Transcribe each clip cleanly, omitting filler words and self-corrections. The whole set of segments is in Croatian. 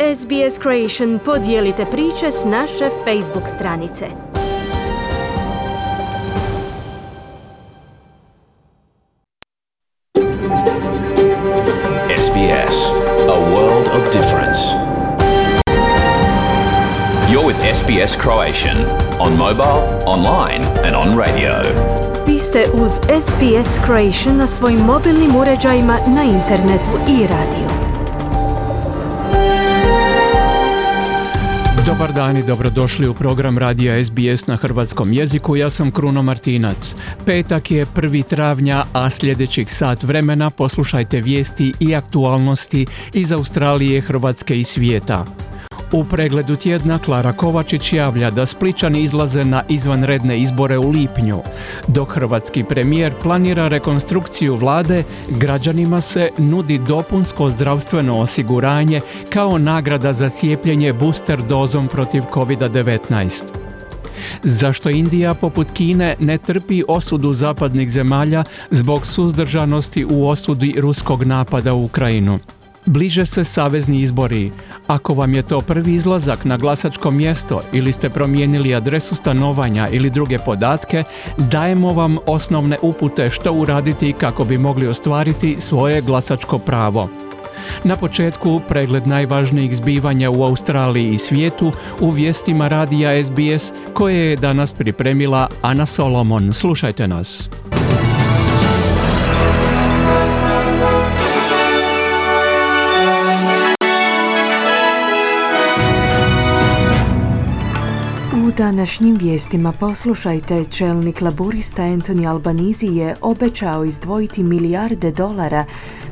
SBS Creation podijelite priče s naše Facebook stranice. SBS, a world of difference. You're with SBS Croatian on mobile, online and on radio. Vi ste uz SBS Creation na svojim mobilnim uređajima, na internetu i radio. Dobar dan i dobrodošli u program radija SBS na hrvatskom jeziku. Ja sam Kruno Martinac. Petak je 1. travnja, a sljedećih sat vremena poslušajte vijesti i aktualnosti iz Australije, Hrvatske i svijeta. U pregledu tjedna Klara Kovačić javlja da Splićani izlaze na izvanredne izbore u lipnju. Dok hrvatski premijer planira rekonstrukciju vlade, građanima se nudi dopunsko zdravstveno osiguranje kao nagrada za cijepljenje booster dozom protiv COVID-19. Zašto Indija, poput Kine, ne trpi osudu zapadnih zemalja zbog suzdržanosti u osudi ruskog napada u Ukrajinu? Bliže se savezni izbori. Ako vam je to prvi izlazak na glasačko mjesto ili ste promijenili adresu stanovanja ili druge podatke, dajemo vam osnovne upute što uraditi kako bi mogli ostvariti svoje glasačko pravo. Na početku pregled najvažnijih zbivanja u Australiji i svijetu u vijestima radija SBS koje je danas pripremila Ana Solomon. Slušajte nas. U današnjim vijestima poslušajte, čelnik laburista Anthony Albanese je obećao izdvojiti milijarde dolara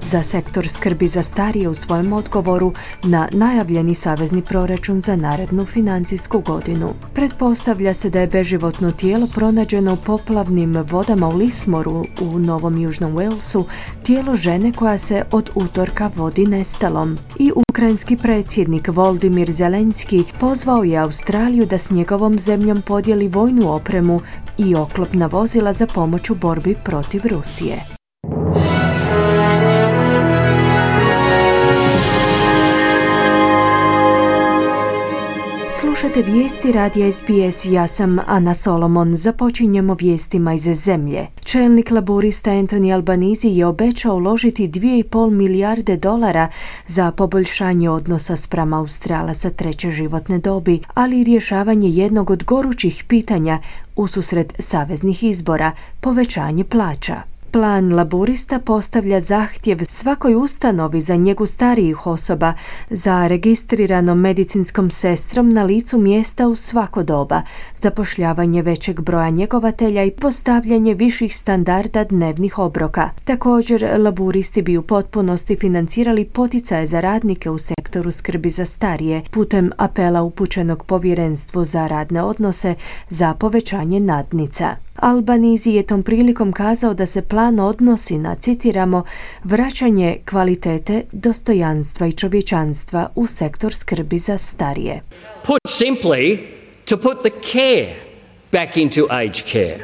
za sektor skrbi za starije u svojem odgovoru na najavljeni savezni proračun za narednu financijsku godinu. Pretpostavlja se da je beživotno tijelo pronađeno u poplavnim vodama u Lismoru u Novom Južnom Walesu, tijelo žene koja se od utorka vodi nestalom. I ukrajinski predsjednik Volodymyr Zelenski pozvao je Australiju da s njegovom zemljom podijeli vojnu opremu i oklopna vozila za pomoć u borbi protiv Rusije. Slušate vijesti radija SBS, ja sam Ana Solomon. Započinjemo vijestima iz zemlje. Čelnik laburista Anthony Albanese je obećao uložiti 2,5 milijarde dolara za poboljšanje odnosa spram Australaca treće životne dobi, ali i rješavanje jednog od gorućih pitanja ususret saveznih izbora, povećanje plaća. Plan laburista postavlja zahtjev svakoj ustanovi za njegu starijih osoba za registriranom medicinskom sestrom na licu mjesta u svako doba, zapošljavanje većeg broja njegovatelja i postavljanje viših standarda dnevnih obroka. Također, laburisti bi u potpunosti financirali poticaje za radnike u sektoru skrbi za starije putem apela upućenog Povjerenstvu za radne odnose za povećanje nadnica. Albanese je tom prilikom kazao da se plan odnosi na, citiramo, vraćanje kvalitete, dostojanstva i čovječanstva u sektor skrbi za starije. Put simply, to put the care back into aged care.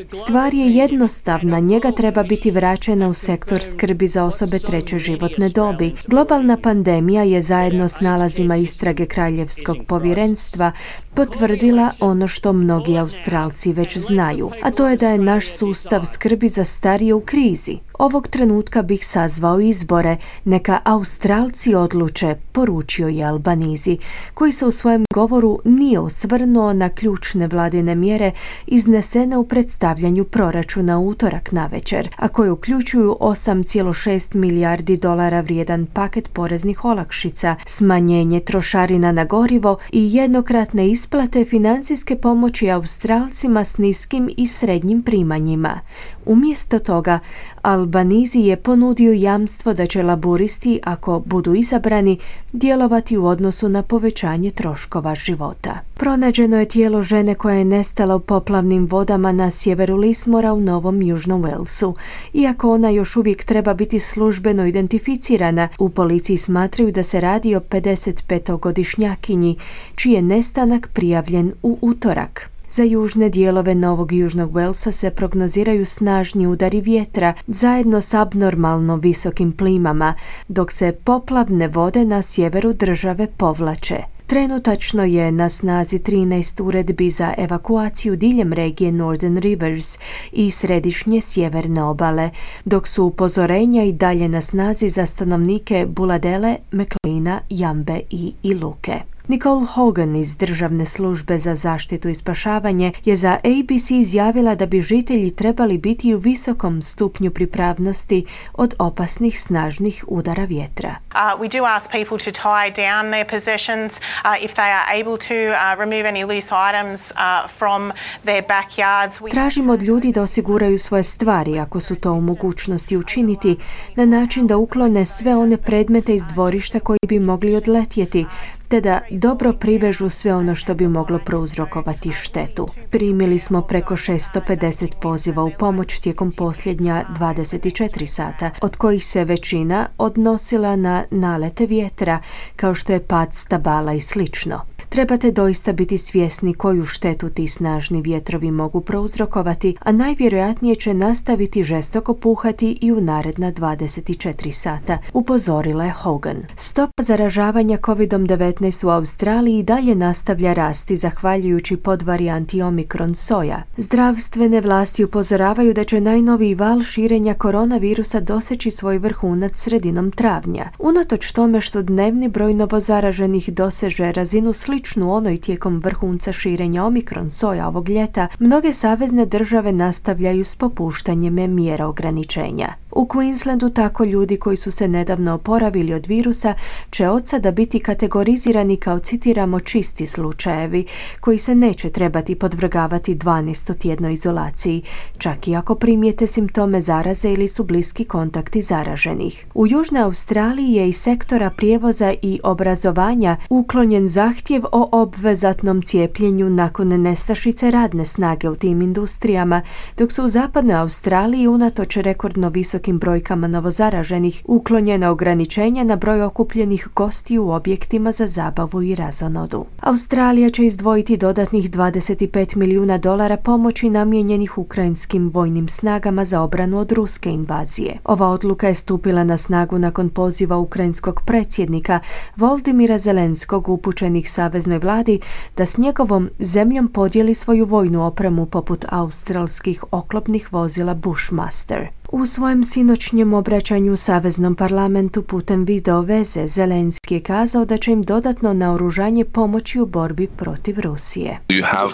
Stvar je jednostavna, njega treba biti vraćena u sektor skrbi za osobe treće životne dobi. Globalna pandemija je zajedno s nalazima istrage Kraljevskog povjerenstva potvrdila ono što mnogi Australci već znaju, a to je da je naš sustav skrbi za starije u krizi. Ovog trenutka bih sazvao izbore, neka Australci odluče, poručio je Albanese, koji se u svojem govoru nije osvrnuo na ključne vladine mjere iznesene u predstavljanju proračuna u utorak navečer, a koje uključuju 8,6 milijardi dolara vrijedan paket poreznih olakšica, smanjenje trošarina na gorivo i jednokratne isplate financijske pomoći Australcima s niskim i srednjim primanjima. Umjesto toga, Albanese je ponudio jamstvo da će laburisti, ako budu izabrani, djelovati u odnosu na povećanje troškova života. Pronađeno je tijelo žene koja je nestala u poplavnim vodama na sjeveru Lismora u Novom Južnom Walesu. Iako ona još uvijek treba biti službeno identificirana, u policiji smatraju da se radi o 55-godišnjakinji, čiji je nestanak prijavljen u utorak. Za južne dijelove Novog Južnog Walesa se prognoziraju snažni udari vjetra zajedno s abnormalno visokim plimama, dok se poplavne vode na sjeveru države povlače. Trenutačno je na snazi 13 uredbi za evakuaciju diljem regije Northern Rivers i središnje sjeverne obale, dok su upozorenja i dalje na snazi za stanovnike Buladele, McLeana, Jambe i Iluke. Nicole Hogan iz Državne službe za zaštitu i spašavanje je za ABC izjavila da bi žitelji trebali biti u visokom stupnju pripravnosti od opasnih snažnih udara vjetra. We do ask people to tie down their possessions if they are able to remove any loose items from their backyards. Tražimo od ljudi da osiguraju svoje stvari ako su to u mogućnosti učiniti na način da uklone sve one predmete iz dvorišta koji bi mogli odletjeti, te da dobro privežu sve ono što bi moglo prouzrokovati štetu. Primili smo preko 650 poziva u pomoć tijekom posljednja 24 sata, od kojih se većina odnosila na nalete vjetra, kao što je pad stabala i slično. Trebate doista biti svjesni koju štetu ti snažni vjetrovi mogu prouzrokovati, a najvjerojatnije će nastaviti žestoko puhati i u naredna 24 sata, upozorila je Hogan. Stopa zaražavanja COVID-19 u Australiji i dalje nastavlja rasti zahvaljujući podvarijanti Omikron soja. Zdravstvene vlasti upozoravaju da će najnoviji val širenja koronavirusa doseći svoj vrhunac sredinom travnja. Unatoč tome što dnevni broj novozaraženih doseže razinu sličnu onoj tijekom vrhunca širenja Omikron soja ovog ljeta, mnoge savezne države nastavljaju s popuštanjem mjera ograničenja. U Queenslandu tako ljudi koji su se nedavno oporavili od virusa će od sada biti kategorizirani kao, citiramo, čisti slučajevi koji se neće trebati podvrgavati 12-tjednoj izolaciji, čak i ako primijete simptome zaraze ili su bliski kontakti zaraženih. U Južnoj Australiji je iz sektora prijevoza i obrazovanja uklonjen zahtjev o obvezatnom cijepljenju nakon nestašice radne snage u tim industrijama, dok su u Zapadnoj Australiji unatoč rekordno visokim brojkama novozaraženih uklonjena ograničenja na broj okupljenih gostiju u objektima za zabavu i razonodu. Australija će izdvojiti dodatnih $25 milijuna pomoći namijenjenih ukrajinskim vojnim snagama za obranu od ruske invazije. Ova odluka je stupila na snagu nakon poziva ukrajinskog predsjednika Volodymyra Zelenskog upućenih saveznoj vladi da s njegovom zemljom podijeli svoju vojnu opremu poput australskih oklopnih vozila Bushmaster. U svojem sinoćnjem obraćanju Saveznom parlamentu putem video veze Zelenski je kazao da će im dodatno naoružanje pomoći u borbi protiv Rusije. You have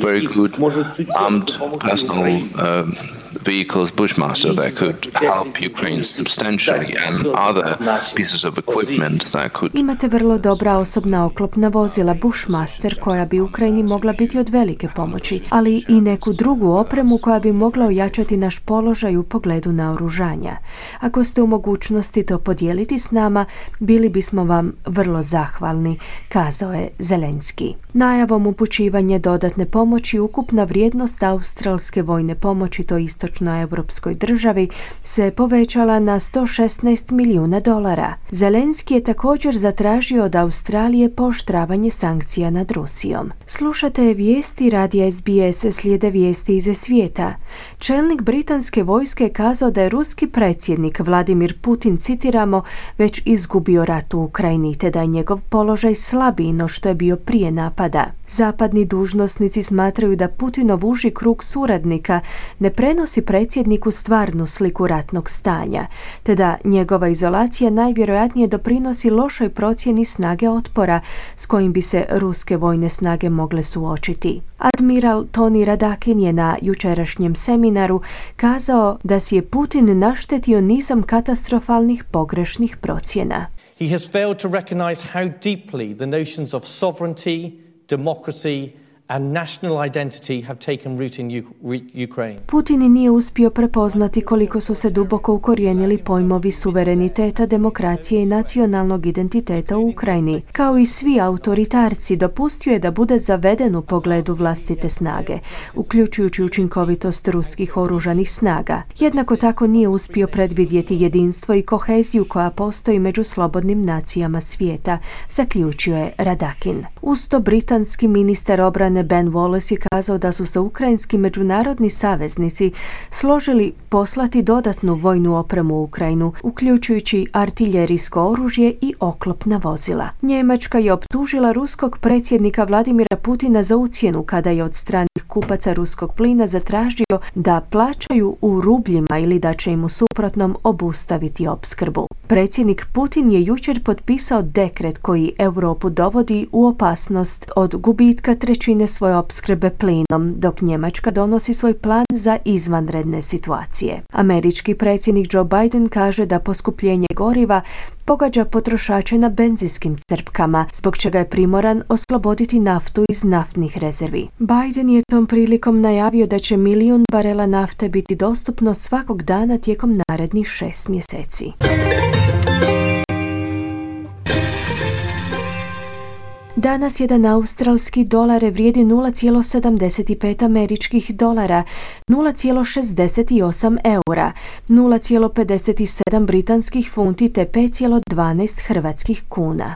very good armed personal vehicles, Bushmaster, that could help Ukraine substantially and other pieces of equipment that could... Imate vrlo dobra osobna oklopna vozila Bushmaster koja bi Ukrajini mogla biti od velike pomoći, ali i neku drugu opremu koja bi mogla ojačati naš položaj u pogledu naoružanja. Ako ste u mogućnosti to podijeliti s nama, bili bismo vam vrlo zahvalni, kazao je Zelenski. Najavom upućivanja dodatne pomoći ukupna vrijednost australske vojne pomoći toj istočnoevropskoj državi se povećala na $116 milijuna. Zelenski je također zatražio od Australije pooštravanje sankcija nad Rusijom. Slušate vijesti radija SBS, slijede vijesti iz svijeta. Čelnik britanske vojske je kazao da je ruski predsjednik Vladimir Putin, citiramo, već izgubio rat u Ukrajini, te da je njegov položaj slabiji no što je bio prije napada. Zapadni dužnosnici smatraju da Putinov uži krug suradnika ne prenosi predsjedniku stvarnu sliku ratnog stanja, te da njegova izolacija najvjerojatnije doprinosi lošoj procjeni snage otpora s kojim bi se ruske vojne snage mogle suočiti. Admiral Tony Radakin je na jučerašnjem seminaru kazao da si je Putin naštetio nizom katastrofalnih pogrešnih procjena. He has failed to recognize how deeply the notions of sovereignty, democracy and national identity have taken root in Ukraine. Putin nije uspio prepoznati koliko su se duboko ukorijenili pojmovi suvereniteta, demokracije i nacionalnog identiteta u Ukrajini. Kao i svi autoritarci, dopustio je da bude zaveden u pogledu vlastite snage, uključujući učinkovitost ruskih oružanih snaga. Jednako tako nije uspio predvidjeti jedinstvo i koheziju koja postoji među slobodnim nacijama svijeta, zaključio je Radakin. Uz to britanski ministar obrane obrane Ben Wallace je kazao da su se ukrajinski međunarodni saveznici složili poslati dodatnu vojnu opremu u Ukrajinu, uključujući artiljerijsko oružje i oklopna vozila. Njemačka je optužila ruskog predsjednika Vladimira Putina za ucjenu kada je od stranih kupaca ruskog plina zatražio da plaćaju u rubljima ili da će im u suprotnom obustaviti opskrbu. Predsjednik Putin je jučer potpisao dekret koji Europu dovodi u opasnost od gubitka trećine svoje opskrbe plinom, dok Njemačka donosi svoj plan za izvanredne situacije. Američki predsjednik Joe Biden kaže da poskupljenje goriva pogađa potrošače na benzinskim crpkama, zbog čega je primoran osloboditi naftu iz naftnih rezervi. Biden je tom prilikom najavio da će 1 milijun barela nafte biti dostupno svakog dana tijekom narednih 6 mjeseci. Danas jedan australski dolar vrijedi 0,75 američkih dolara, 0,68 eura, 0,57 britanskih funti te 5,12 hrvatskih kuna.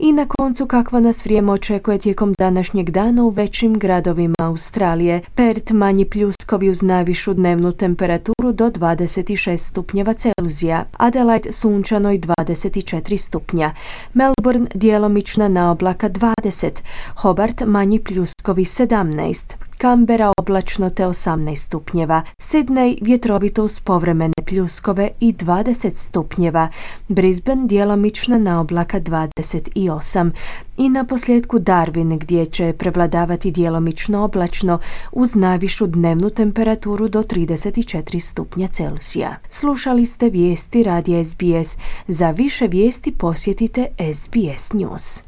I na koncu kakva nas vrijeme očekuje tijekom današnjeg dana u većim gradovima Australije. Perth manji pljuskovi uz najvišu dnevnu temperaturu do 26 stupnjeva Celzija. Adelaide sunčano i 24 stupnja. Melbourne djelomična naoblaka 20. Hobart manji pljuskovi 17. Canberra oblačno te 18 stupnjeva. Sydney vjetrovito uz povremene pljuskove i 20 stupnjeva. Brisbane djelomična naoblaka 28. I na posljedku Darwin gdje će prevladavati djelomično oblačno uz najvišu dnevnu temperaturu do 34 stupnja Celzija. Slušali ste vijesti radija SBS. Za više vijesti posjetite SBS News.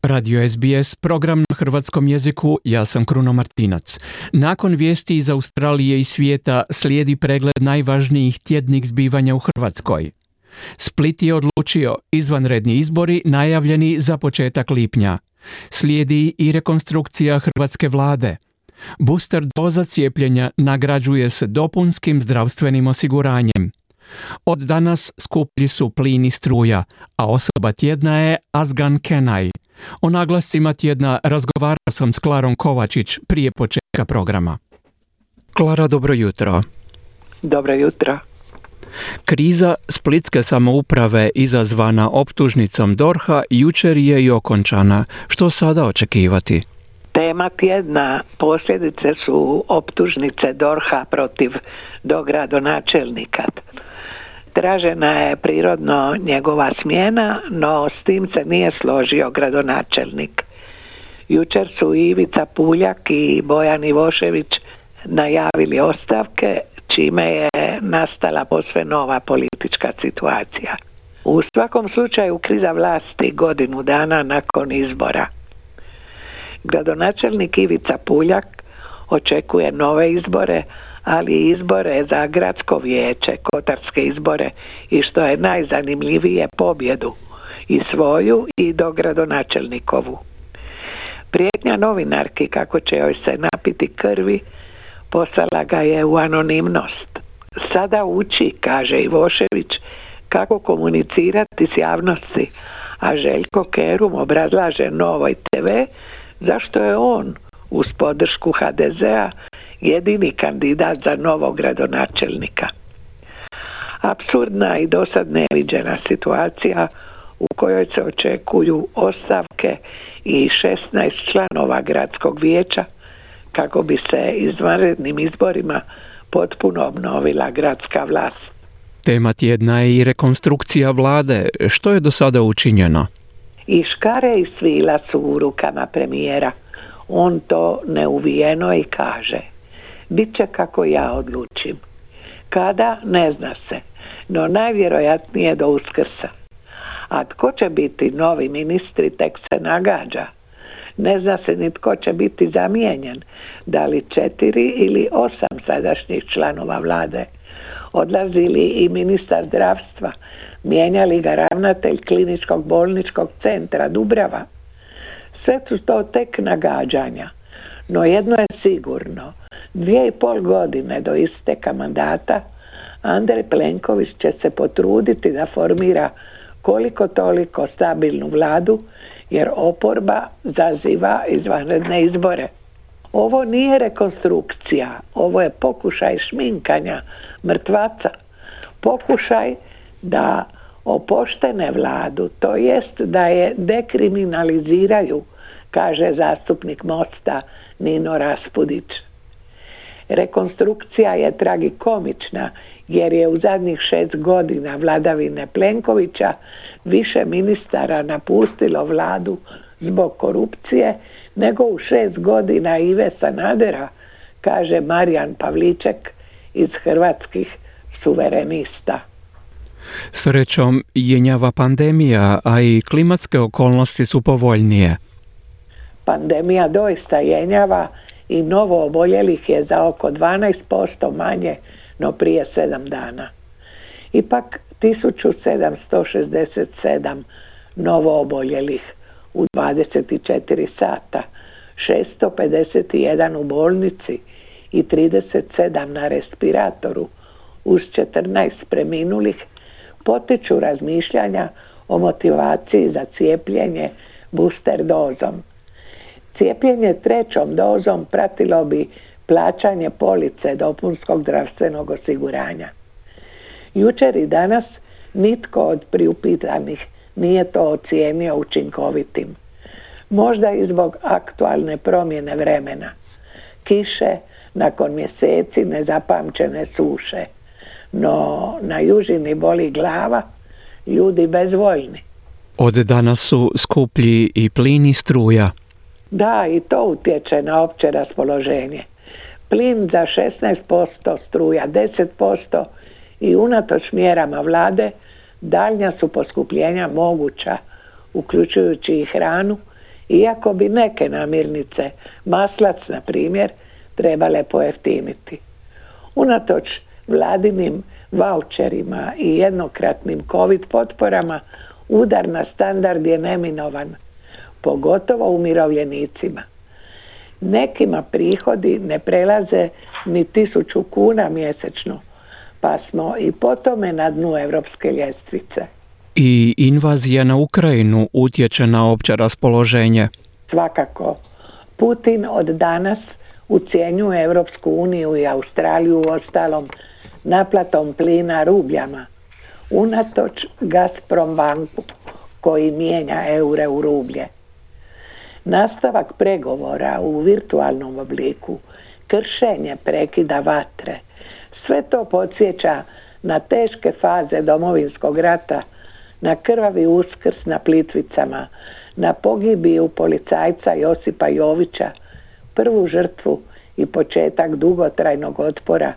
Radio SBS, program na hrvatskom jeziku, ja sam Kruno Martinac. Nakon vijesti iz Australije i svijeta slijedi pregled najvažnijih tjednih zbivanja u Hrvatskoj. Split je odlučio izvanredni izbori najavljeni za početak lipnja. Slijedi i rekonstrukcija hrvatske vlade. Booster doza cijepljenja nagrađuje se dopunskim zdravstvenim osiguranjem. Od danas skuplji su plin i struja, a osoba tjedna je Azgan Kenaj. O naglascima tjedna razgovarao sam s Klarom Kovačić prije početka programa. Klara, dobro jutro. Dobro jutro. Kriza splitske samouprave izazvana optužnicom DORH-a jučer je i okončana. Što sada očekivati? Tema tjedna posljedice su optužnice DORH-a protiv dogradonačelnika. Tražena je prirodno njegova smjena, no s tim se nije složio gradonačelnik. Jučer su Ivica Puljak i Bojan Ivošević najavili ostavke, čime je nastala posve nova politička situacija. U svakom slučaju kriza vlasti godinu dana nakon izbora. Gradonačelnik Ivica Puljak očekuje nove izbore, ali i izbore za gradsko vijeće, kotarske izbore i što je najzanimljivije pobjedu i svoju i dogradonačelnikovu. Prijetnja novinarki kako će joj se napiti krvi poslala ga je u anonimnost. Sada uči, kaže Ivošević, kako komunicirati s javnosti, a Željko Kerum obrazlaže Novoj TV zašto je on uz podršku HDZ-a jedini kandidat za novog gradonačelnika. Apsurdna i dosad neviđena situacija u kojoj se očekuju ostavke i 16 članova gradskog vijeća kako bi se izvanrednim izborima potpuno obnovila gradska vlast. Tema tjedna je i rekonstrukcija vlade. Što je do sada učinjeno? I škare i svila su u rukama premijera. On to neuvijeno i kaže: bit će kako ja odlučim. Kada, ne zna se, no najvjerojatnije do Uskrsa. A tko će biti novi ministri, tek se nagađa. Ne zna se ni tko će biti zamijenjen, da li 4 ili 8 sadašnjih članova vlade. Odlazi li i ministar zdravstva, mijenja li ga ravnatelj kliničkog bolničkog centra Dubrava. Sve su to tek nagađanja. No jedno je sigurno, 2,5 godine do isteka mandata Andrej Plenković će se potruditi da formira koliko toliko stabilnu vladu, jer oporba zaziva izvanredne izbore. Ovo nije rekonstrukcija, ovo je pokušaj šminkanja mrtvaca, pokušaj da opoštene vladu, to jest da je dekriminaliziraju, kaže zastupnik Mosta Nino Raspudić. Rekonstrukcija je tragikomična jer je u zadnjih 6 godina vladavine Plenkovića više ministara napustilo vladu zbog korupcije nego u 6 godina Ive Sanadera, kaže Marijan Pavliček iz Hrvatskih suverenista. Srećom, jenjava pandemija, a i klimatske okolnosti su povoljnije. Pandemija doista jenjava i novo oboljelih je za oko 12% manje no prije 7 dana. Ipak 1767 novo oboljelih u 24 sata, 651 u bolnici i 37 na respiratoru uz 14 preminulih potiču razmišljanja o motivaciji za cijepljenje booster dozom. Cijepljenje 3. dozom pratilo bi plaćanje police dopunskog zdravstvenog osiguranja. Jučer i danas nitko od priupitanih nije to ocijenio učinkovitim. Možda i zbog aktualne promjene vremena. Kiše nakon mjeseci nezapamćene suše. No na južini boli glava, ljudi bezvoljni. Od danas su skuplji i plin i struja. Da, i to utječe na opće raspoloženje. Plin za 16%, struja 10% i unatoč mjerama vlade daljnja su poskupljenja moguća, uključujući i hranu, iako bi neke namirnice, maslac na primjer, trebale pojeftiniti. Unatoč vladinim vaučerima i jednokratnim COVID potporama udar na standard je neminovan, pogotovo umirovljenicima. Nekima prihodi ne prelaze ni 1000 kuna mjesečno, pa smo i po tome na dnu europske ljestvice. I invazija na Ukrajinu utječe na opće raspoloženje. Svakako, Putin od danas ucjenjuje Europsku uniju i Australiju ostalom naplatom plina rubljama, unatoč Gazprom banku koji mijenja eure u rublje. Nastavak pregovora u virtualnom obliku, kršenje prekida vatre, sve to podsjeća na teške faze Domovinskog rata, na krvavi Uskrs na Plitvicama, na pogibiju policajca Josipa Jovića, prvu žrtvu i početak dugotrajnog otpora,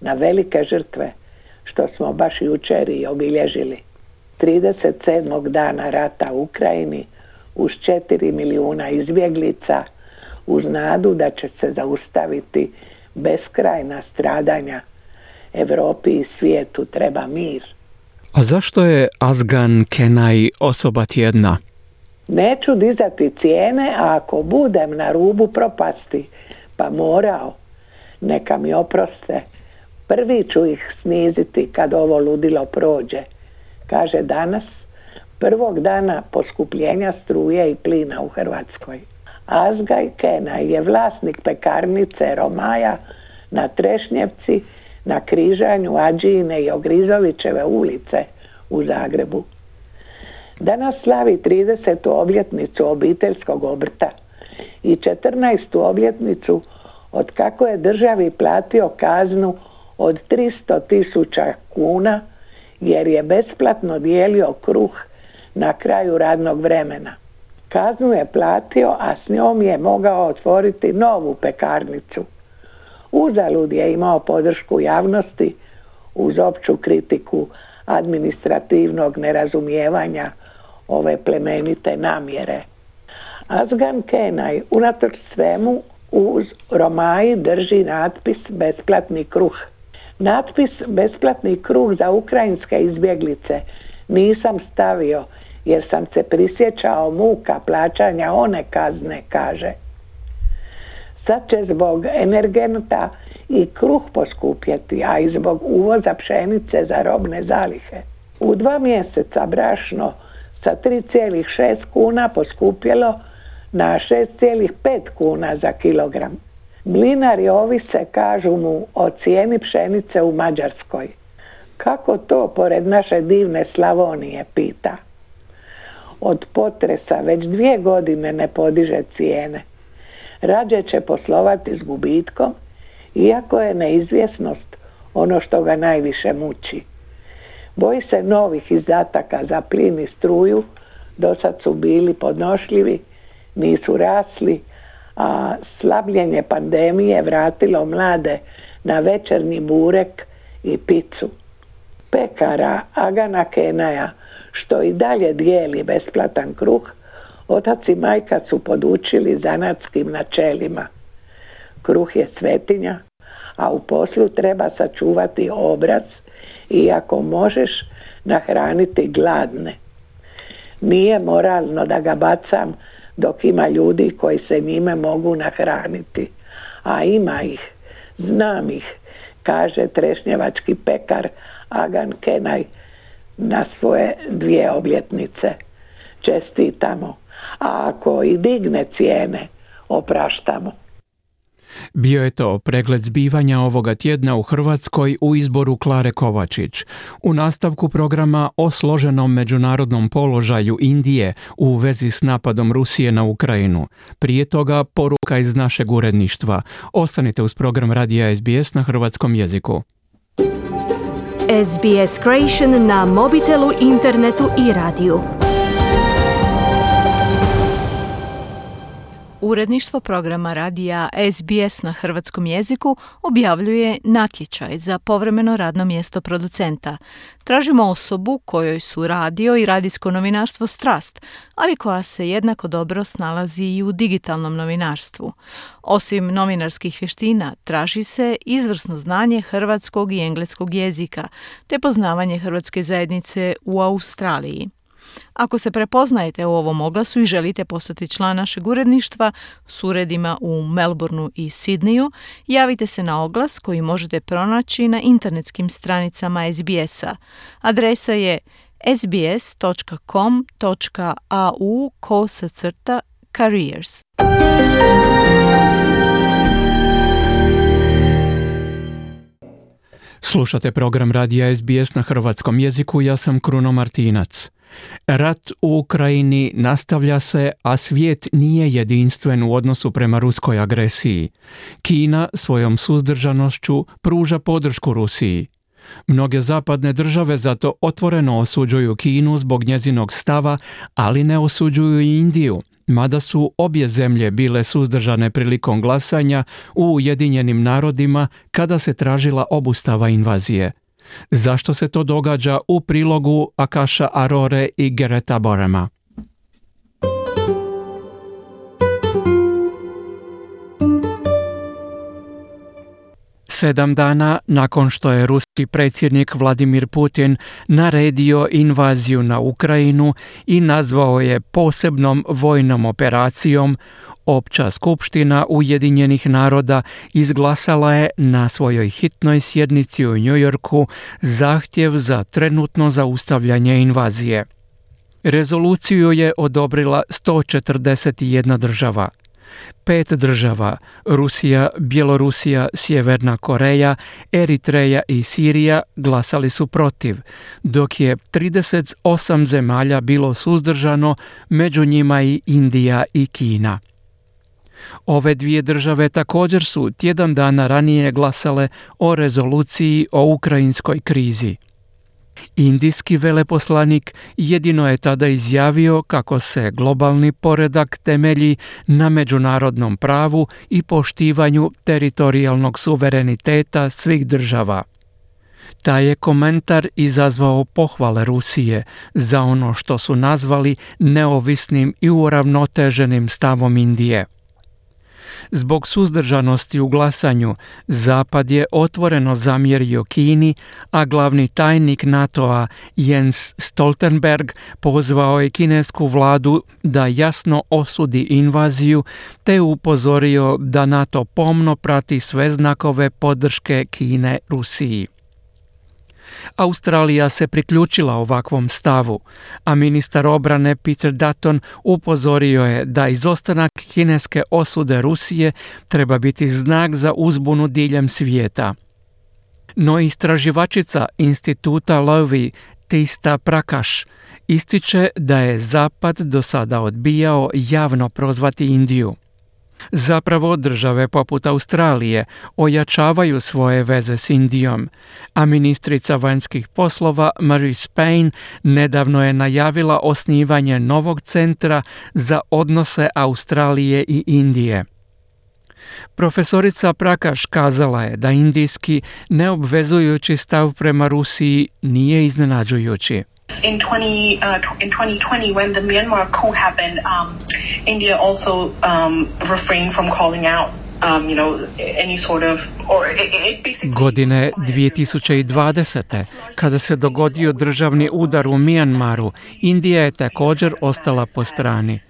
na velike žrtve, što smo baš jučer i obilježili. 37. dana rata u Ukrajini, uz 4 milijuna izbjeglica, uz nadu da će se zaustaviti beskrajna stradanja. Europi i svijetu treba mir. A zašto je Azgan Kenaj osoba tjedna? Neću dizati cijene, a ako budem na rubu propasti, pa morao, neka mi oproste. Prvi ću ih sniziti kad ovo ludilo prođe, kaže danas, prvog dana poskupljenja struje i plina u Hrvatskoj. Azgaj Kenaj je vlasnik pekarnice Romaja na Trešnjevci, na križanju Adžijine i Ogrizovićeve ulice u Zagrebu. Danas slavi 30. obljetnicu obiteljskog obrta i 14. obljetnicu od kako je državi platio kaznu od 300.000 kuna jer je besplatno dijelio kruh na kraju radnog vremena. Kaznu je platio, a s njom je mogao otvoriti novu pekarnicu. Uzalud je imao podršku javnosti uz opću kritiku administrativnog nerazumijevanja ove plemenite namjere. Azgan Kenaj unatoč svemu uz Romaji drži natpis besplatni kruh. Natpis besplatni kruh za ukrajinske izbjeglice nisam stavio jer sam se prisjećao muka plaćanja one kazne, kaže. Sad će zbog energenata i kruh poskupjeti, a i zbog uvoza pšenice za robne zalihe. U 2 mjeseca brašno sa 3,6 kuna poskupjelo na 6,5 kuna za kilogram. Mlinari ovise, kažu mu, o cijeni pšenice u Mađarskoj. Kako to pored naše divne Slavonije, pita. Od potresa već 2 godine ne podiže cijene. Rađe će poslovati s gubitkom, iako je neizvjesnost ono što ga najviše muči. Boji se novih izdataka za plin i struju, do sad su bili podnošljivi, nisu rasli, a slabljenje pandemije vratilo mlade na večernji burek i picu. Pekara Agana Kenaja, što i dalje dijeli besplatan kruh, otac i majka su podučili zanatskim načelima. Kruh je svetinja, a u poslu treba sačuvati obraz i ako možeš nahraniti gladne. Nije moralno da ga bacam dok ima ljudi koji se njime mogu nahraniti, a ima ih, znam ih, kaže trešnjevački pekar Agan Kenaj na svoje 2 obljetnice. Čestitamo, a ako i digne cijene, opraštamo. Bio je to pregled zbivanja ovoga tjedna u Hrvatskoj u izboru Klare Kovačić. U nastavku programa o složenom međunarodnom položaju Indije u vezi s napadom Rusije na Ukrajinu. Prije toga poruka iz našeg uredništva. Ostanite uz program Radija SBS na hrvatskom jeziku. SBS Creation na mobitelu, internetu i radiju. Uredništvo programa radija SBS na hrvatskom jeziku objavljuje natječaj za povremeno radno mjesto producenta. Tražimo osobu kojoj su radio i radijsko novinarstvo strast, ali koja se jednako dobro snalazi i u digitalnom novinarstvu. Osim novinarskih vještina, traži se izvrsno znanje hrvatskog i engleskog jezika, te poznavanje hrvatske zajednice u Australiji. Ako se prepoznajete u ovom oglasu i želite postati član našeg uredništva s uredima u Melbourneu i Sidneju, javite se na oglas koji možete pronaći na internetskim stranicama SBS-a. Adresa je sbs.com.au/careers. Slušate program Radija SBS na hrvatskom jeziku, ja sam Kruno Martinac. Rat u Ukrajini nastavlja se, a svijet nije jedinstven u odnosu prema ruskoj agresiji. Kina svojom suzdržanošću pruža podršku Rusiji. Mnoge zapadne države zato otvoreno osuđuju Kinu zbog njezinog stava, ali ne osuđuju i Indiju, mada su obje zemlje bile suzdržane prilikom glasanja u Ujedinjenim narodima kada se tražila obustava invazije. Zašto se to događa u prilogu Akasha Arore i Gereta Borema? Sedam dana nakon što je ruski predsjednik Vladimir Putin naredio invaziju na Ukrajinu i nazvao je posebnom vojnom operacijom, Opća skupština Ujedinjenih naroda izglasala je na svojoj hitnoj sjednici u New Yorku zahtjev za trenutno zaustavljanje invazije. Rezoluciju je odobrila 141 država. 5 država, Rusija, Bjelorusija, Sjeverna Koreja, Eritreja i Sirija, glasali su protiv, dok je 38 zemalja bilo suzdržano, među njima i Indija i Kina. Ove 2 države također su tjedan dana ranije glasale o rezoluciji o ukrajinskoj krizi. Indijski veleposlanik jedino je tada izjavio kako se globalni poredak temelji na međunarodnom pravu i poštivanju teritorijalnog suvereniteta svih država. Taj je komentar izazvao pohvale Rusije za ono što su nazvali neovisnim i uravnoteženim stavom Indije. Zbog suzdržanosti u glasanju, Zapad je otvoreno zamjerio Kini, a glavni tajnik NATO-a Jens Stoltenberg pozvao je kinesku vladu da jasno osudi invaziju te upozorio da NATO pomno prati sve znakove podrške Kine Rusiji. Australija se priključila ovakvom stavu, a ministar obrane Peter Dutton upozorio je da izostanak kineske osude Rusije treba biti znak za uzbunu diljem svijeta. No istraživačica instituta Lowy Tista Prakash ističe da je Zapad do sada odbijao javno prozvati Indiju. Zapravo države poput Australije ojačavaju svoje veze s Indijom, a ministrica vanjskih poslova Marise Payne nedavno je najavila osnivanje novog centra za odnose Australije i Indije. Profesorica Prakash kazala je da indijski neobvezujući stav prema Rusiji nije iznenađujući. In 2020, when the Myanmar coup happened, India also refrained from calling out, any sort of, or it basically... Godine 2020. kada se dogodio državni udar u Myanmaru, Indija je također ostala po strani.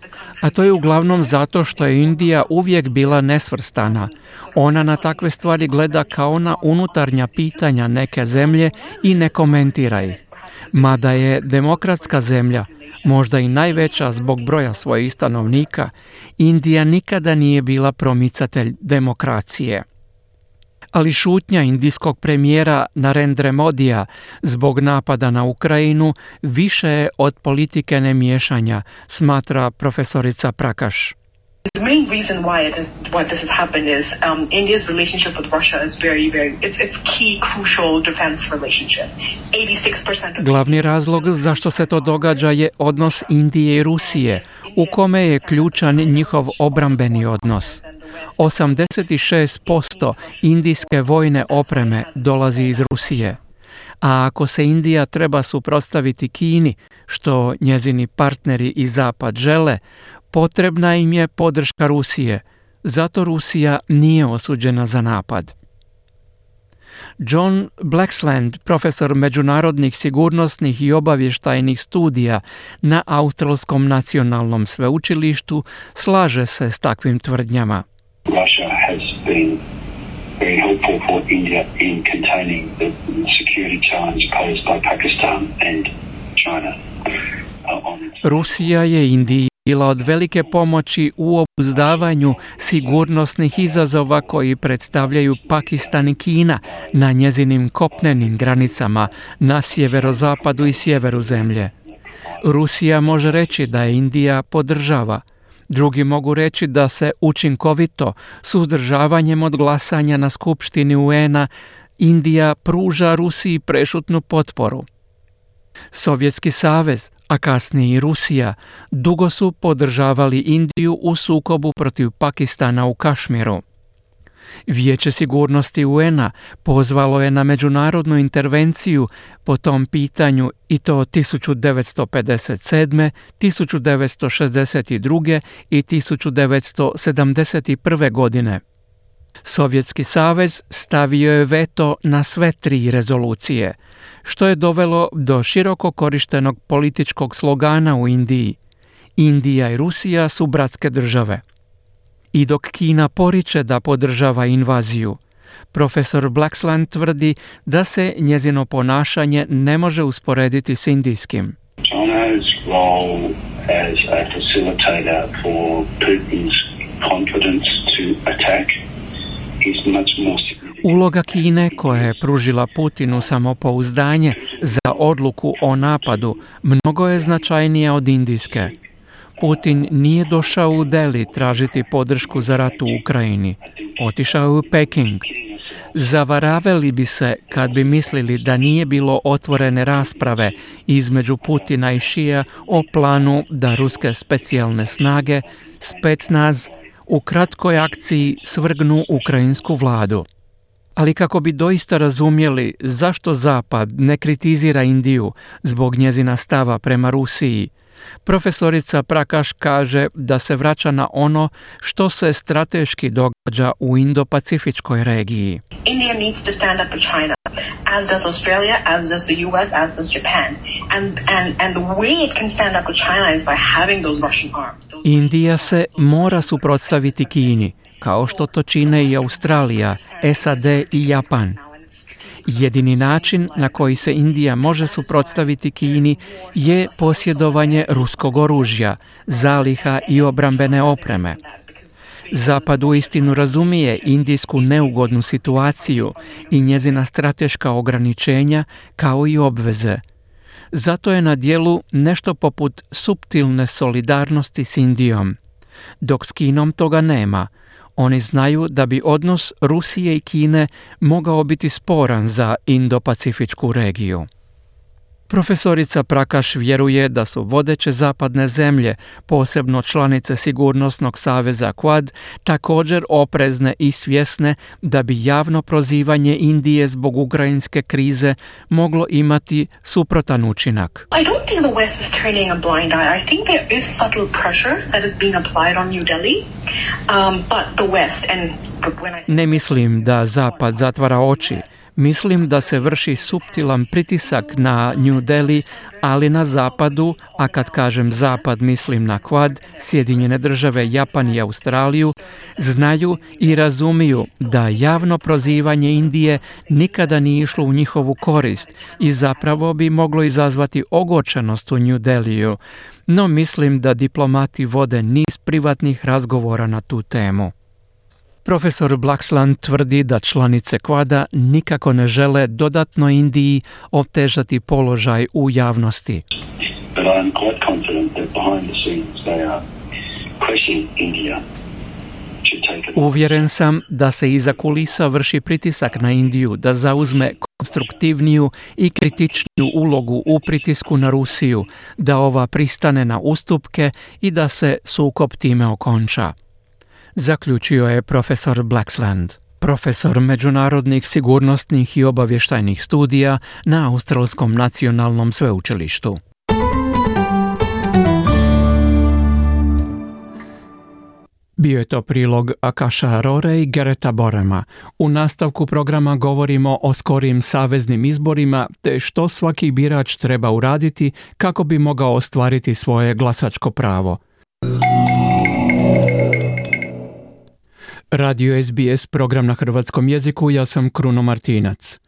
A to je uglavnom zato što je Indija uvijek bila nesvrstana. Ona na takve stvari gleda kao na unutarnja pitanja neke zemlje i ne komentira ih. Mada je demokratska zemlja, možda i najveća zbog broja svojih stanovnika, Indija nikada nije bila promicatelj demokracije. Ali šutnja indijskog premijera Narendra Modija zbog napada na Ukrajinu više je od politike nemiješanja, smatra profesorica Prakash. The main reason why this has happened is India's relationship with Russia is it's key, crucial defense relationship. 86% Glavni razlog zašto se to događa je odnos Indije i Rusije, u kome je ključan njihov obrambeni odnos. 86% indijske vojne opreme dolazi iz Rusije. A ako se Indija treba suprotstaviti Kini, što njezini partneri i Zapad žele, potrebna im je podrška Rusije, zato Rusija nije osuđena za napad. John Blaxland, profesor međunarodnih sigurnosnih i obavještajnih studija na Australskom nacionalnom sveučilištu, slaže se s takvim tvrdnjama. Russia has been very helpful for India in containing the security challenge posed by Pakistan and China. Rusija je Indiji bila od velike pomoći u obuzdavanju sigurnosnih izazova koji predstavljaju Pakistan i Kina na njezinim kopnenim granicama na sjeverozapadu i sjeveru zemlje. Rusija može reći da je Indija podržava. Drugi mogu reći da se učinkovito, suzdržavanjem od glasanja na Skupštini UN-a, Indija pruža Rusiji prešutnu potporu. Sovjetski savez, a kasnije i Rusija, dugo su podržavali Indiju u sukobu protiv Pakistana u Kašmiru. Vijeće sigurnosti UN-a pozvalo je na međunarodnu intervenciju po tom pitanju i to 1957., 1962. i 1971. godine. Sovjetski savez stavio je veto na sve 3 rezolucije, što je dovelo do široko korištenog političkog slogana u Indiji. Indija i Rusija su bratske države. I dok Kina poriče da podržava invaziju, profesor Blaxland tvrdi da se njezino ponašanje ne može usporediti s indijskim. China's role as a facilitator for Putin's confidence to attack is much more significant. Uloga Kine, koja je pružila Putinu samopouzdanje za odluku o napadu, mnogo je značajnija od indijske. Putin nije došao u Delhi tražiti podršku za rat u Ukrajini. Otišao je u Peking. Zavaravali bi se kad bi mislili da nije bilo otvorene rasprave između Putina i Šija o planu da ruske specijalne snage, Specnaz, u kratkoj akciji svrgnu ukrajinsku vladu. Ali kako bi doista razumjeli zašto Zapad ne kritizira Indiju zbog njezina stava prema Rusiji, Profesorica Prakash kaže da se vraća na ono što se strateški događa u Indo-Pacifičkoj regiji. India needs to stand up to China, as does Australia, as does the US, as does Japan. And the way it can stand up to China is by having those Russian arms. Indija se mora suprotstaviti Kini, kao što to čine i Australija, SAD i Japan. Jedini način na koji se Indija može suprotstaviti Kini je posjedovanje ruskog oružja, zaliha i obrambene opreme. Zapad uistinu razumije indijsku neugodnu situaciju i njezina strateška ograničenja kao i obveze. Zato je na djelu nešto poput suptilne solidarnosti s Indijom. Dok s Kinom toga nema, oni znaju da bi odnos Rusije i Kine mogao biti sporan za Indo-Pacifičku regiju. Profesorica Prakash vjeruje da su vodeće zapadne zemlje, posebno članice sigurnosnog saveza Quad, također oprezne i svjesne da bi javno prozivanje Indije zbog ukrajinske krize moglo imati suprotan učinak. I don't think the West is turning a blind eye. I think there is subtle pressure that is being applied on New Delhi, but the West and Ne mislim da Zapad zatvara oči. Mislim da se vrši suptilan pritisak na New Delhi, ali na Zapadu, a kad kažem Zapad mislim na Quad, Sjedinjene države, Japan i Australiju, znaju i razumiju da javno prozivanje Indije nikada nije išlo u njihovu korist i zapravo bi moglo izazvati ogorčenost u New Delhiju, no mislim da diplomati vode niz privatnih razgovora na tu temu. Profesor Blaxland tvrdi da članice Quada nikako ne žele dodatno Indiji otežati položaj u javnosti. Uvjeren sam da se iza kulisa vrši pritisak na Indiju da zauzme konstruktivniju i kritičniju ulogu u pritisku na Rusiju, da ova pristane na ustupke i da se sukob time okonča. Zaključio je profesor Blaxland, profesor međunarodnih sigurnosnih i obavještajnih studija na Australskom nacionalnom sveučilištu. Bio je to prilog Akasha Arore i Gereta Borema. U nastavku programa govorimo o skorijim saveznim izborima te što svaki birač treba uraditi kako bi mogao ostvariti svoje glasačko pravo. Radio SBS, program na hrvatskom jeziku, ja sam Kruno Martinac.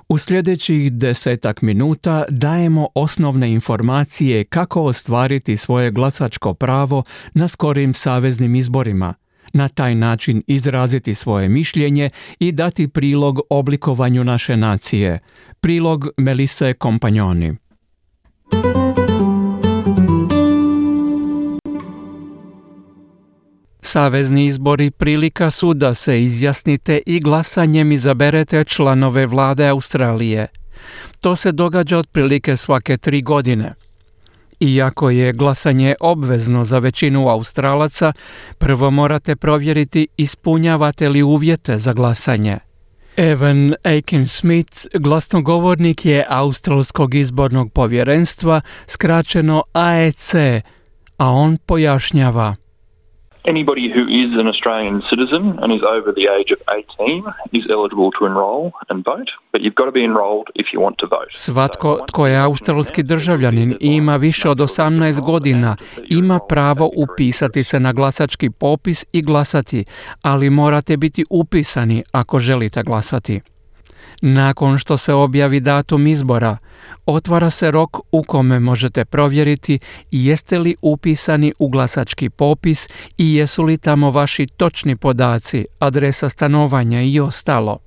U sljedećih 10 minuta dajemo osnovne informacije kako ostvariti svoje glasačko pravo na skorijim saveznim izborima, na taj način izraziti svoje mišljenje i dati prilog oblikovanju naše nacije. Prilog Melise Kompanjoni. Savezni izbori prilika su da se izjasnite i glasanjem izaberete članove vlade Australije. To se događa otprilike svake 3 godine. Iako je glasanje obvezno za većinu Australaca, prvo morate provjeriti ispunjavate li uvjete za glasanje. Evan Aiken-Smith, glasnogovornik je Australskog izbornog povjerenstva, skraćeno AEC, a on pojašnjava. Anybody who is an Australian citizen and is over the age of 18 is eligible to enroll and vote, but you've got to be enrolled if you want to vote. Svatko tko je australski državljanin i ima više od 18 godina ima pravo upisati se na glasački popis i glasati, ali morate biti upisani ako želite glasati. Nakon što se objavi datum izbora, otvara se rok u kome možete provjeriti jeste li upisani u glasački popis i jesu li tamo vaši točni podaci, adresa stanovanja i ostalo.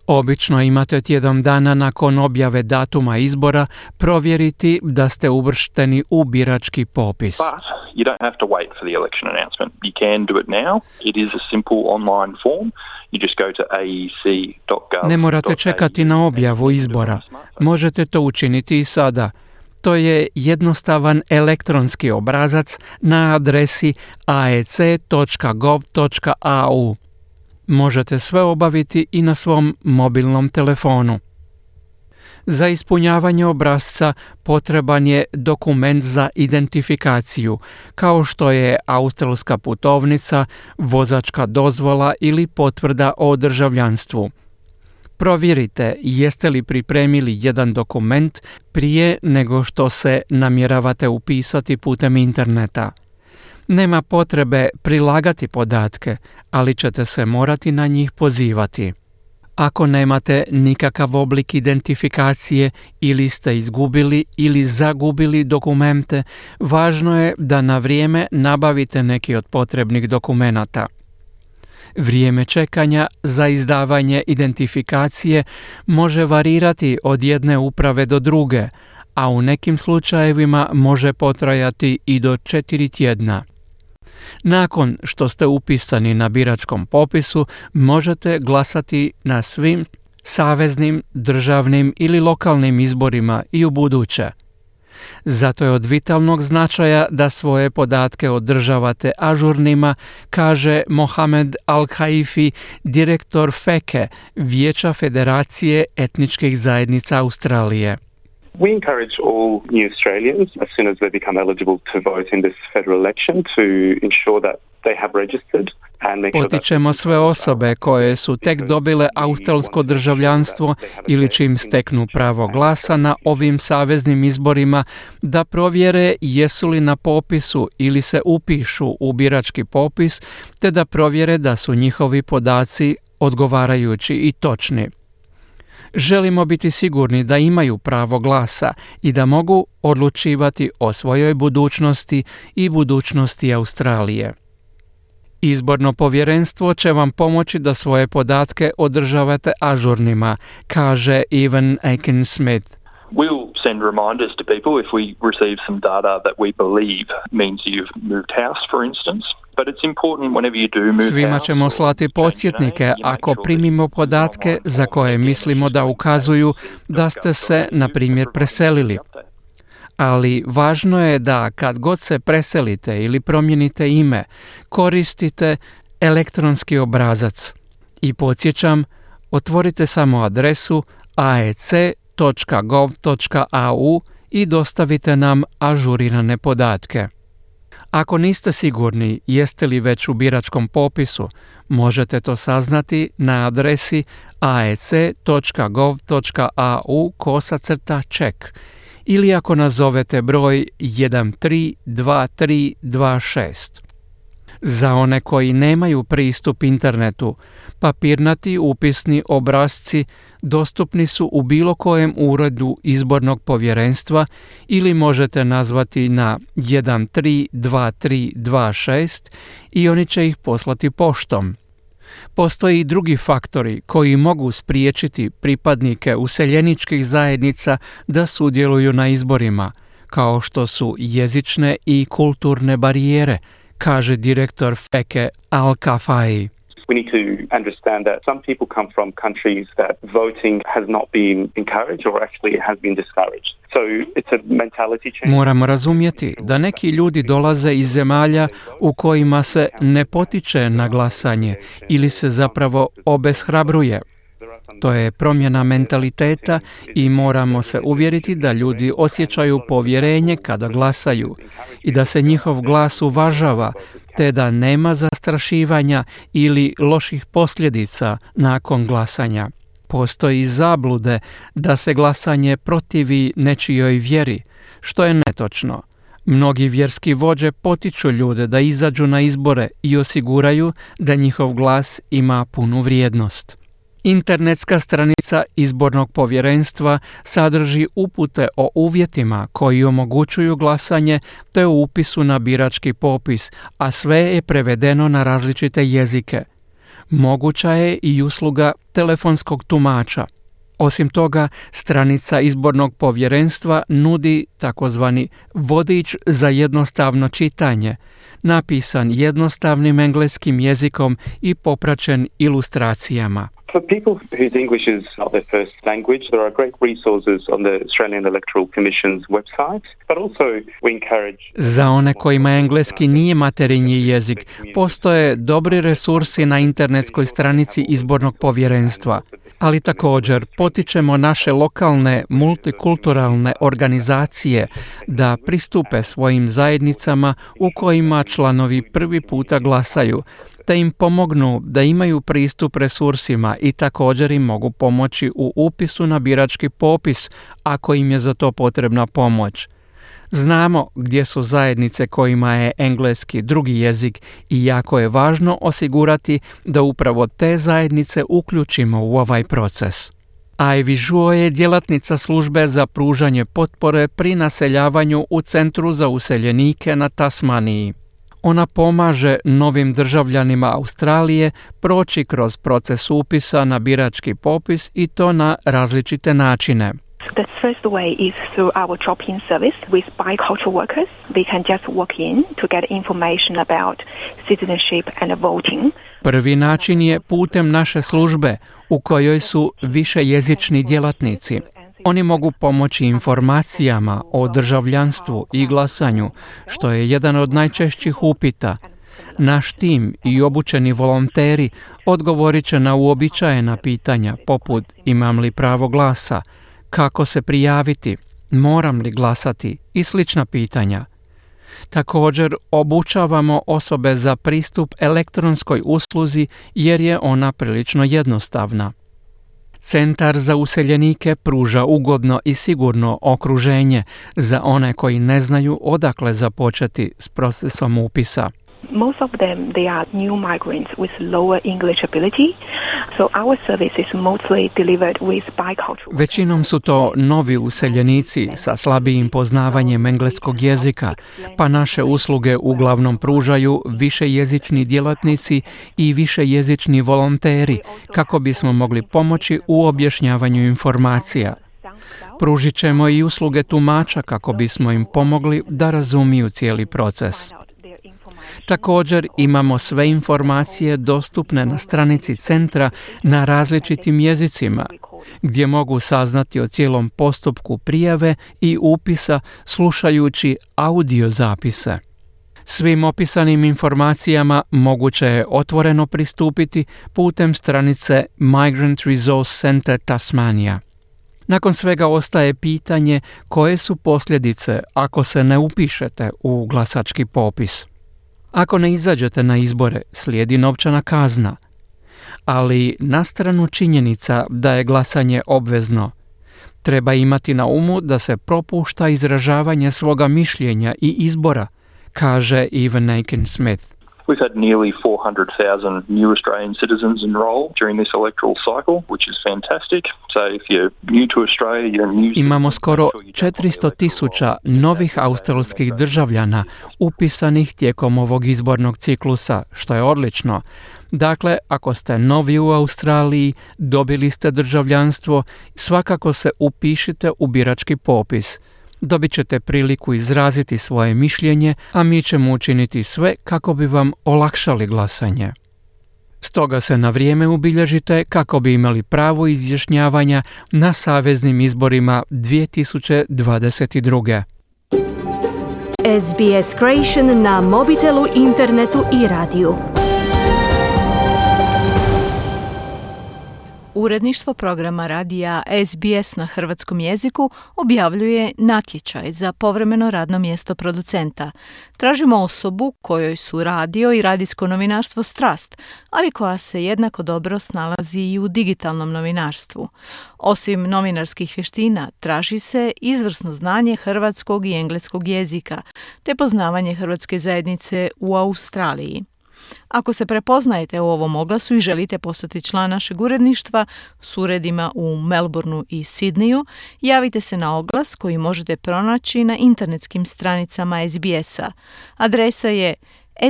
Obično imate tjedan dana nakon objave datuma izbora provjeriti da ste uvršteni u birački popis. But you don't have to wait for the election announcement. You can do it now. It is a simple online form. You just go to aec.gov. Ne morate čekati na objavu izbora. Možete to učiniti i sada. To je jednostavan elektronski obrazac na adresi aec.gov.au. Možete sve obaviti i na svom mobilnom telefonu. Za ispunjavanje obrasca potreban je dokument za identifikaciju, kao što je australska putovnica, vozačka dozvola ili potvrda o državljanstvu. Provjerite jeste li pripremili jedan dokument prije nego što se namjeravate upisati putem interneta. Nema potrebe prilagati podatke, ali ćete se morati na njih pozivati. Ako nemate nikakav oblik identifikacije ili ste izgubili ili zagubili dokumente, važno je da na vrijeme nabavite neki od potrebnih dokumenata. Vrijeme čekanja za izdavanje identifikacije može varirati od jedne uprave do druge, a u nekim slučajevima može potrajati i do 4 tjedna. Nakon što ste upisani na biračkom popisu, možete glasati na svim saveznim, državnim ili lokalnim izborima i ubuduće. Zato je od vitalnog značaja da svoje podatke održavate ažurnima, kaže Mohamed Al-Haifi, direktor FEKE, Vijeća Federacije etničkih zajednica Australije. We encourage all new Australians, as soon as they become eligible to vote in this federal election, to ensure that they have registered. Potičemo sve osobe koje su tek dobile australsko državljanstvo ili čim steknu pravo glasa na ovim saveznim izborima da provjere jesu li na popisu ili se upišu u birački popis, te da provjere da su njihovi podaci odgovarajući i točni. Želimo biti sigurni da imaju pravo glasa i da mogu odlučivati o svojoj budućnosti i budućnosti Australije. Izborno povjerenstvo će vam pomoći da svoje podatke održavate ažurnima, kaže Evan Aiken-Smith. We'll send reminders to people if we receive some data that we believe means you've moved house, for instance. Svima ćemo slati podsjetnike ako primimo podatke za koje mislimo da ukazuju da ste se, na primjer, preselili. Ali važno je da kad god se preselite ili promijenite ime, koristite elektronski obrazac. I podsjećam, otvorite samo adresu aec.gov.au i dostavite nam ažurirane podatke. Ako niste sigurni jeste li već u biračkom popisu, možete to saznati na adresi aec.gov.au/check ili ako nazovete broj 132326. Za one koji nemaju pristup internetu, papirnati upisni obrasci dostupni su u bilo kojem uredu izbornog povjerenstva ili možete nazvati na 132326 i oni će ih poslati poštom. Postoje i drugi faktori koji mogu spriječiti pripadnike useljeničkih zajednica da sudjeluju na izborima, kao što su jezične i kulturne barijere, kaže direktor FEKE Al-Kafai. We need to understand that some people come from countries that voting has not been encouraged or actually has been discouraged. So it's a mentality change. Moramo razumjeti da neki ljudi dolaze iz zemalja u kojima se ne potiče na glasanje ili se zapravo obeshrabruje. To je promjena mentaliteta i moramo se uvjeriti da ljudi osjećaju povjerenje kada glasaju i da se njihov glas uvažava, te da nema zastrašivanja ili loših posljedica nakon glasanja. Postoji zablude da se glasanje protivi nečijoj vjeri, što je netočno. Mnogi vjerski vođe potiču ljude da izađu na izbore i osiguraju da njihov glas ima punu vrijednost. Internetska stranica izbornog povjerenstva sadrži upute o uvjetima koji omogućuju glasanje te o upisu na birački popis, a sve je prevedeno na različite jezike. Moguća je i usluga telefonskog tumača. Osim toga, stranica izbornog povjerenstva nudi takozvani vodič za jednostavno čitanje, napisan jednostavnim engleskim jezikom i popraćen ilustracijama. For people whose English is not their first language, there are great resources on the Australian Electoral Commission's website, but also we encourage... Za one kojima engleski nije materinji jezik, postoje dobri resursi na internetskoj stranici izbornog povjerenstva. ali također potičemo naše lokalne multikulturalne organizacije da pristupe svojim zajednicama u kojima članovi prvi puta glasaju, te im pomognu da imaju pristup resursima i također im mogu pomoći u upisu na birački popis ako im je za to potrebna pomoć. Znamo gdje su zajednice kojima je engleski drugi jezik i jako je važno osigurati da upravo te zajednice uključimo u ovaj proces. Ivy Zhuo je djelatnica službe za pružanje potpore pri naseljavanju u Centru za useljenike na Tasmaniji. Ona pomaže novim državljanima Australije proći kroz proces upisa na birački popis i to na različite načine. The first way is through our drop-in service with bicultural workers. They can just walk in to get information about citizenship and voting. Prvi način je putem naše službe u kojoj su višejezični djelatnici. Oni mogu pomoći informacijama o državljanstvu i glasanju, što je jedan od najčešćih upita. Naš tim i obučeni volonteri odgovorit će na uobičajena pitanja poput imam li pravo glasa, kako se prijaviti, moram li glasati i slična pitanja. Također obučavamo osobe za pristup elektronskoj usluzi jer je ona prilično jednostavna. Centar za useljenike pruža ugodno i sigurno okruženje za one koji ne znaju odakle započeti s procesom upisa. Most of them, they are new migrants with lower English ability, so our service is mostly delivered with bicultural. Većinom su to novi useljenici sa slabijim poznavanjem engleskog jezika, pa naše usluge uglavnom pružaju višejezični djelatnici i višejezični volonteri kako bismo mogli pomoći u objašnjavanju informacija. Pružit ćemo i usluge tumača kako bismo im pomogli da razumiju cijeli proces. Također imamo sve informacije dostupne na stranici centra na različitim jezicima, gdje mogu saznati o cijelom postupku prijave i upisa slušajući audio zapise. Svim opisanim informacijama moguće je otvoreno pristupiti putem stranice Migrant Resource Center Tasmania. Nakon svega ostaje pitanje koje su posljedice ako se ne upišete u glasački popis. Ako ne izađete na izbore, slijedi novčana kazna. Ali na stranu činjenica da je glasanje obvezno, treba imati na umu da se propušta izražavanje svoga mišljenja i izbora, kaže Evan Aiken-Smith. We've had nearly 400,000 new Australian citizens enroll during this electoral cycle, which is fantastic. So if you're new to Australia, you're new. Imamo skoro 400,000 novih australskih državljana upisanih tijekom ovog izbornog ciklusa, što je odlično. Dakle, ako ste novi u Australiji, dobili ste državljanstvo, svakako se upišite u birački popis. Dobit ćete priliku izraziti svoje mišljenje, a mi ćemo učiniti sve kako bi vam olakšali glasanje. Stoga se na vrijeme ubilježite kako bi imali pravo izjašnjavanja na saveznim izborima 2022. SBS Creation na mobitelu, internetu i radiju. Uredništvo programa radija SBS na hrvatskom jeziku objavljuje natječaj za povremeno radno mjesto producenta. Tražimo osobu kojoj su radio i radijsko novinarstvo strast, ali koja se jednako dobro snalazi i u digitalnom novinarstvu. Osim novinarskih vještina, traži se izvrsno znanje hrvatskog i engleskog jezika, te poznavanje hrvatske zajednice u Australiji. Ako se prepoznajete u ovom oglasu i želite postati član našeg uredništva s uredima u Melbourneu i Sidneju, javite se na oglas koji možete pronaći na internetskim stranicama SBS-a. Adresa je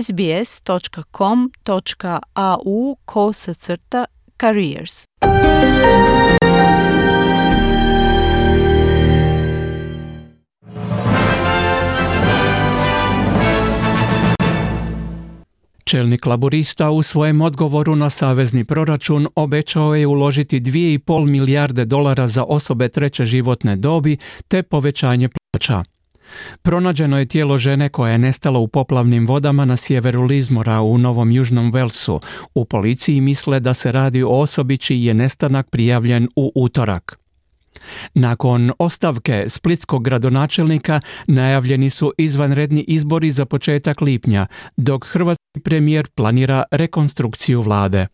sbs.com.au/careers. Čelnik laborista u svojem odgovoru na savezni proračun obećao je uložiti $2,5 milijarde za osobe treće životne dobi te povećanje plaća. Pronađeno je tijelo žene koja je nestala u poplavnim vodama na sjeveru Lismora u Novom Južnom Walesu. U policiji misle da se radi o osobi čiji je nestanak prijavljen u utorak. Nakon ostavke splitskog gradonačelnika najavljeni su izvanredni izbori za početak lipnja, dok hrvatski premijer planira rekonstrukciju vlade.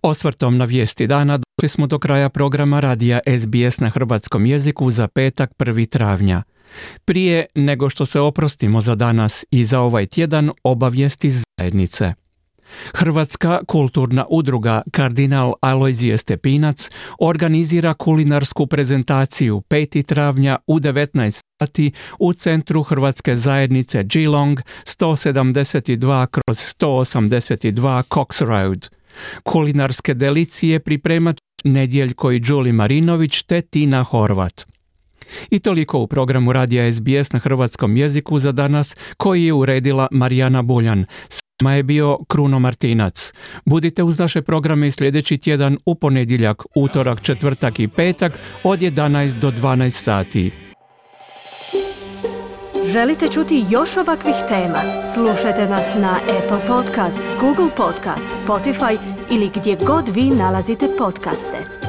Osvrtom na vijesti dana došli smo do kraja programa radija SBS na hrvatskom jeziku za petak 1. travnja. Prije nego što se oprostimo za danas i za ovaj tjedan, obavijesti iz zajednice. Hrvatska kulturna udruga Kardinal Alojzije Stepinac organizira kulinarsku prezentaciju 5. travnja u 19 sati u centru Hrvatske zajednice Geelong 172/182 Cox Road. Kulinarske delicije pripremat Nedjeljko i Đuli Marinović te Tina Horvat. I toliko u programu radija SBS na hrvatskom jeziku za danas, koji je uredila Marijana Buljan. S vama je bio Kruno Martinac. Budite uz naše programe i sljedeći tjedan u ponedjeljak, utorak, četvrtak i petak od 11 do 12 sati. Želite čuti još ovakvih tema? Slušajte nas na Apple Podcast, Google Podcast, Spotify ili gdje god vi nalazite podcaste.